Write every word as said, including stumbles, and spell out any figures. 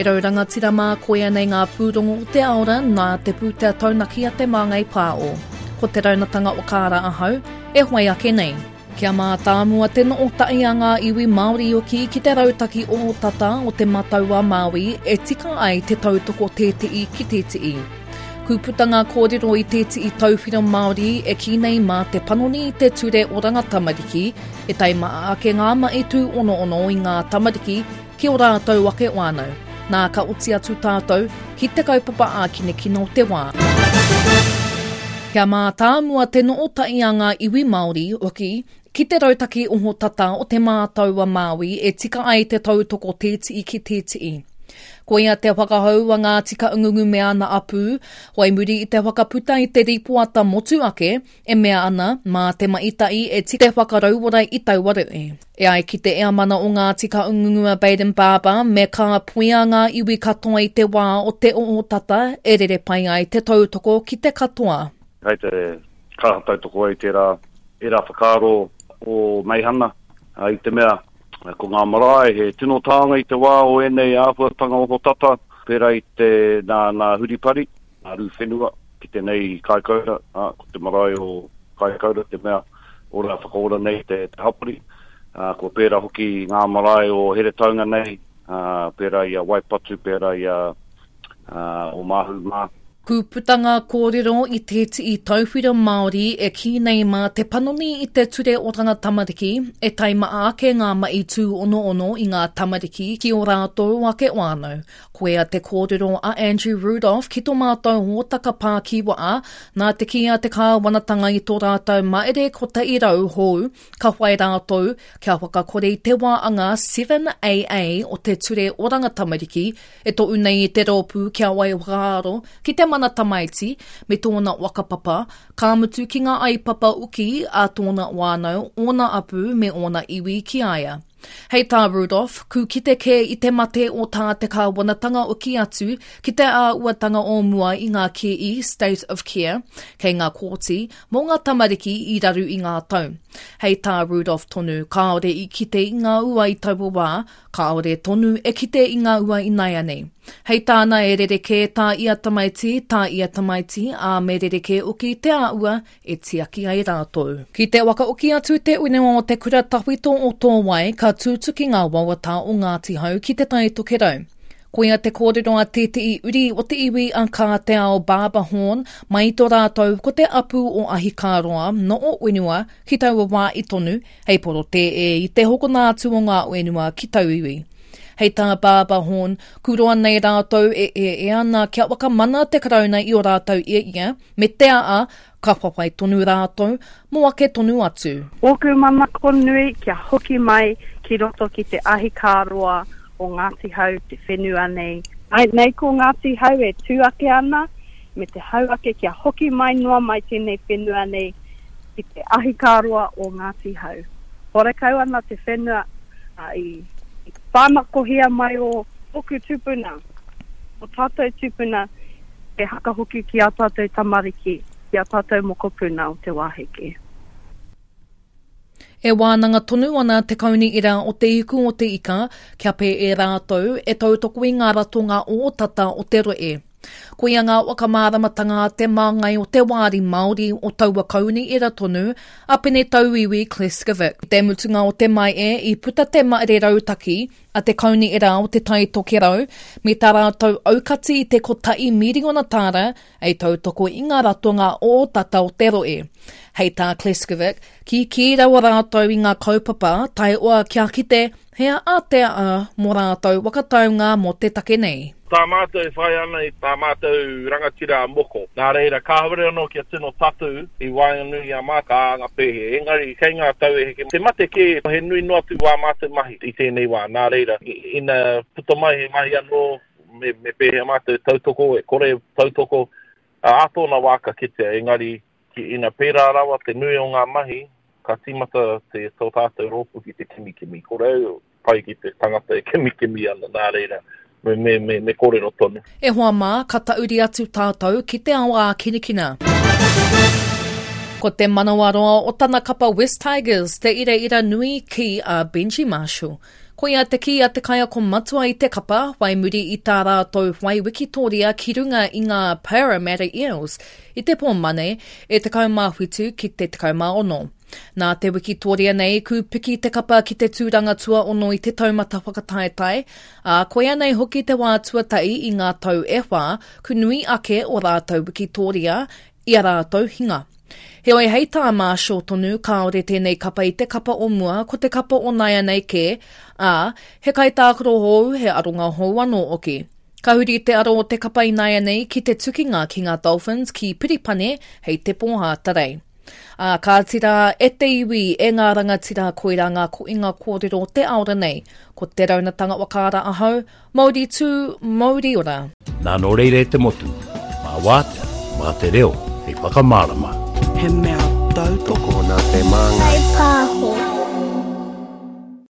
E rau rangatira mā koia nei ngā pūrongo o te aora nā te pūtea taunaki a Te Māngai Pāo. Ko te raunatanga o kāra ahau, e whai ake nei. Kia mātāmua te noota'i a ngā iwi Māori oki ki te rautaki o tata o te matau a Māui e tika ai te tautoko tēte'i ki tēte'i. Kūputa ngā kōrero i tēte'i tauwhiro Māori e kī nei mā te panoni i te ture oranga tamariki e taimaa ake ngā mahi tūonono i ngā tamariki ki o rātou ake whānau. Nā ka oti atu tātou ki te kaupapa ākinekina o te wā. Kia mātāmua te noota'i a ngā iwi Māori hoki ki te rautaki oho tata o te mātau a Māui e tika ai te tautoko tēti'i ki tēti'i. Koia te whakahau a Ngāti Kahungunu me ana apū, whai muri i te whakaputa i te ripoata motu ake, e mea ana mā te maita'i e tika te whakarauora i taua rohe. E ai ki te eamana o Ngāti Kahungunu a Bayden Barber, me ka puia ngā iwi katoa i te wā o te oho tata e rere pai ai te tautoko ki te katoa. Hei te kaha tautoko ai tērā, ērā whakaaro o Meihana, i te mea ko ngā marae he tino tānga i te wā o ēnei āhuatanga oho tata, pērā i te nā, nā Huripari, nā Rūwhenua, ki te nei Kaikoura, ā, ko te marae o Kaikoura te mea ora whakaora nei te, te hapori. Ā, kua pērā hoki ngā marae o Heretaunga nei, ā, pērā i a Waipatu, pērā i a ā, o Māhu mā. Kūputa ngā kōrero i tētehi tauwhiro Māori e kī nei mā te panoni i te ture oranga tamariki e taimaa ake ngā mahi tūonono i ngā tamariki ki o rātou ake whānau. Koia te kōrero a Andrew Rudolph ki tō mātou hōtaka pākiwaa, nā te kī a te kāwanatanga i tō rātou maere kotahi rau hou, ka whai rātou kia whakakore i te wā anga seven A A o te ture oranga tamariki e tohu nei i te rōpū kia wai whakaaro ki te mana tamaiti me tōna whakapapa, ka mutu ki ngā aipapa uki a tōna whānau, ōna apu me ōna iwi ki a ia. Hei tā Rudolph, ku kite kē i te mate o tā te kāwanatanga uki atu ki te āuatanga o mua i ngā kī State of Care, kei ngā kōti, mō ngā tamariki i raru i ngā tau. Hei tā Rudolph tonu, kāore i kite i ngā ua i taua wā, kāore tonu e kite i ngā ua i naianei. Hei tāna e rerekē tā ia tamaiti, tā ia tamaiti, ā me rerekē uki te āua e tiaki ai rātou. Ki te wakaoki atu te unewa o te kura tawhito o Tōwai, ka tūtuki ngā wawata o Ngāti Hau ki te Tai Tokerau. Koia te kōrero a tētehi uri o te iwi a Kā Te Ao Barber Horn, mai tō rātou ko te apu o Ahikāroa no o Uenua ki taua wā i tonu, hei poro tē e i te hokona atu o ngā uenua ki tauiwi. Hei tā Barber Horn, kuroa nei rātou e e e ana kia wakamana te karauna i o rātou ia ia, me te aa, ka whawhai tonu rātou, mō ake tonu atu. Ōku manako nui kia hoki mai ki roto ki te ahikāroa o Ngāti Hau te whenua nei. Ai, nei ko Ngāti Hau e tū ake ana, me te hau ake kia hoki mai noa mai tēnei whenua nei ki te ahikāroa o Ngāti Hau. Horekau ana te whenua a, i, i whānakohia mai o ōku tūpuna, o tātou tūpuna, e hakahoki ki a tātou tamariki, ki a tātou mokopuna o te wāheke. E wānanga tonu ana te kauni ira o te iku o te ika, kia pē e rātou e tautoko i ngā ratonga o tata o te roe. Koia ngā whakamāramatanga a te māngai o te wāri Māori o taua kauni ira tonu a Pene Tauiwi Kleskovic. Te mutunga o te mai e i puta te maere rautaki a te kauni ira o te Tai Tokerau me tā rātou aukati i te kotahi miriona tāra ei tautoko i ngā ratonga o tata o te roe. Hei tā Kleskovic, ki kī rawa rātou i ngā kaupapa taeoa kia kite hea a te a mō rātou wakataunga mō te take nei. Tā mātou e whai ana i tā mātou rangatira a moko. Nā reira, kāhore anō kia tino tatu i waenganui i a mātou ka anga pēhe. Engari, kei ngā tau e heke. Te mate kē, he nui noa atu wā mātou mahi i tēnei wā. Nā reira, ina puta mai he mahi anō, me, me pēhea mātou tautoko, e kore tautoko, ā tōna wā ka kitea. Engari, ki ina pērā rawa te nui o ngā mahi, ka tīmata te tō tātou rōpū ki te kimikimi. Kore au pai ki te tangata e kimikimi ana, nā reira, me, me, me, me kōrero tonu. E hoa mā, ka tauri atu tātou ki te ao ākinakina. Ko te manawaroa o tana kapa West Tigers te ira ira nui ki a Benji Marshall. Koia te kī a te kaiako matua i te kapa, whai muri i tā rātou whai wikitoria ki runga i ngā Parramatta Eels i te pō Mane e tekau mā whitu ki te tekau mā ono. Nā te wikitoria nei, kūpiki te kapa ki te tūranga tuaono i te taumata whakataetae, ā, koia nei hoki te wā tuatahi i ngā tau e whā, ku nui ake o rātou wikitoria i a rātou hinga. Heoi hei tā Marshall tonu, kāore tēnei kapa i te kapa o mua, ko te kapa o nāianei kē, ā, he kaitākaro hou, he aronga hou anō hoki. Ka huri te aro o te kapa ināianei ki te tukinga ki ngā Dolphins ki Piripane hei te pō Hātarei. Ā, kāti rā, e te iwi, e ngā rangatira, koirā ngā koinga kōrero o te aora nei. Ko Te Raunatanga Whakaara ahau, mauri tū, mauri ora. Nā nō reira e te motu, mā wātea, mā te reo hei whakamārama. He mea tautoko. Tokona te māngai. Whai pāho.